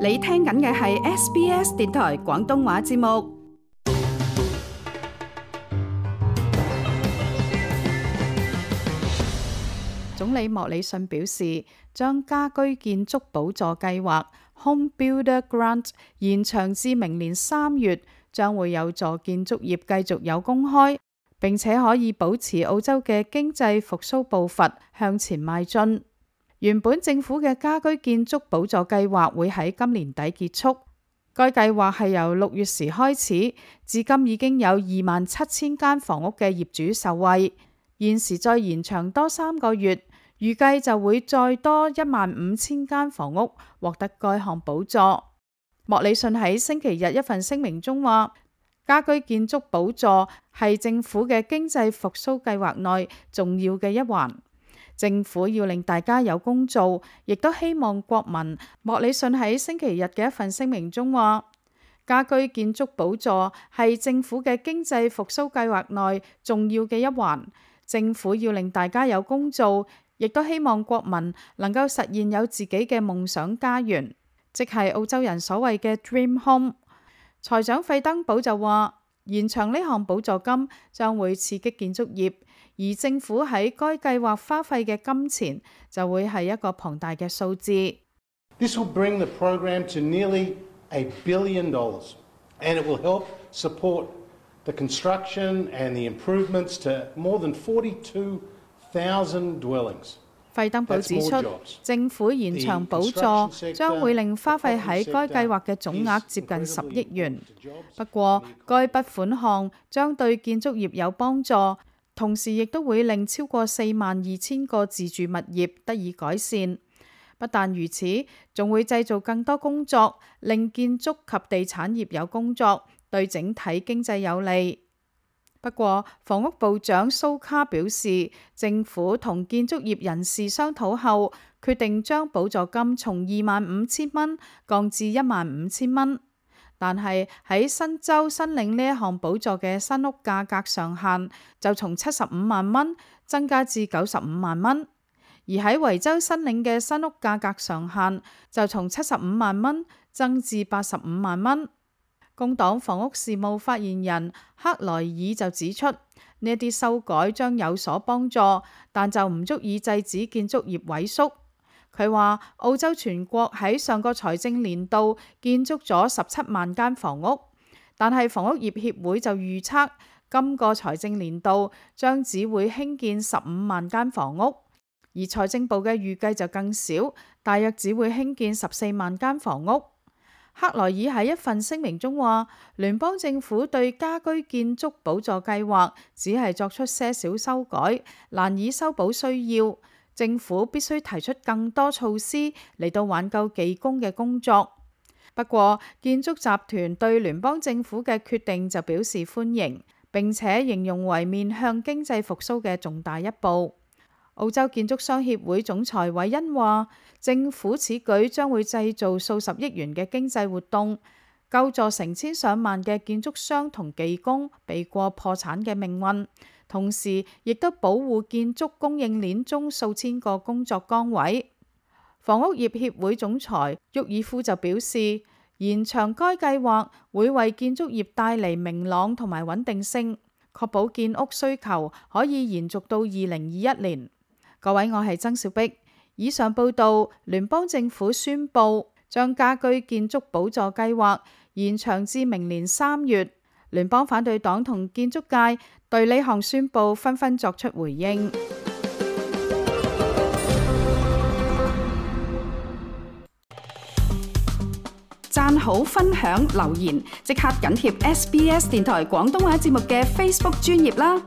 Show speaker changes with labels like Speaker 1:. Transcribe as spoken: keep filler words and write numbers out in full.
Speaker 1: 你聽緊嘅係 S B S 電台廣東話節目。總理莫里遜表示，將家居建築補助計劃 Home Builder Grant 延長至明年三月，將會有助建築業繼續有工開，並且可以保持澳洲嘅經濟復甦步伐向前邁進。原本政府嘅家居建築補助計劃會喺今年底結束，該計劃係由六月時開始，至今已經有二萬七千間房屋嘅業主受惠，現時再延長多三個月，預計就會再多一萬五千間房屋獲得該項補助。莫里遜喺星期日一份聲明中話，家居建築補助係政府嘅經濟復甦計劃內重要嘅一環。政府要令大家有工做，亦都希望國民。莫里遜喺星期日嘅一份聲明中話，家居建築補助係政府嘅經濟復甦計劃內重要嘅一環。政府要令大家有工做，亦都希望國民能夠實現有自己嘅夢想家園，即係澳洲人所謂嘅 Dream Home。財長費登堡就話，延長呢項補助金將會刺激建築業，而政府喺該計劃花費嘅金錢就會係一個龐大嘅數字。
Speaker 2: This will bring the program to nearly a billion dollars, and it will help support the construction and the improvements to more than forty-two thousand dwellings.
Speaker 1: 費登堡指出，政府延長補助將會令花費喺該計劃嘅總額接近十億元。不過，該筆款項將對建築業有幫助，同時亦都會令超過四萬二千個自住物業得以改善。不但如此，仲會製造更多工作，令建築及地產業有工作，對整體經濟有利。不過，房屋部長蘇卡表示，政府同建築業人士商討後，決定將補助金從二萬五千蚊降至一萬五千蚊。但係喺新州申領呢一項補助嘅新屋價格上限就從七十五萬蚊增加至九十五萬蚊，而喺維州申領嘅新屋價格上限就從七十五萬蚊增至八十五萬蚊。工黨房屋事務發言人克萊爾就指出，呢一啲修改將有所幫助，但就唔足以制止建築業萎縮。佢話，澳洲全國喺上個財政年度建築咗十七萬間房屋，但係房屋業協會就預測今個財政年度將只會興建十五萬間房屋，而財政部嘅預計就更少，大約只會興建十四萬間房屋。克萊爾喺一份聲明中話，聯邦政府對家居建築補助計劃只係作出些少修改，難以修補需要。政府必須提出更多措施嚟到挽救技工嘅工作。不過，建築集團對聯邦政府嘅決定就表示歡迎，並且形容為面向經濟復甦嘅重大一步。澳洲建築商協會總裁韋恩話，政府此舉將會製造數十億元嘅經濟活動，救助成千上萬嘅建築商同技工避過破產嘅命運，同時亦都保護建築供應鏈中數千個工作崗位。房屋業協會總裁沃爾夫就表示，延長該計劃會為建築業帶嚟明朗同埋穩定性，確保建屋需求可以延續到二零二一年。各位，我係曾小碧。以上報道，聯邦政府宣布將家居建築補助計劃延長至明年三月。聯邦反對黨同建築界對呢項宣布紛紛作出回應。讚好、分享、留言，即刻緊貼 S B S 電台廣東話節目嘅 Facebook 專頁啦！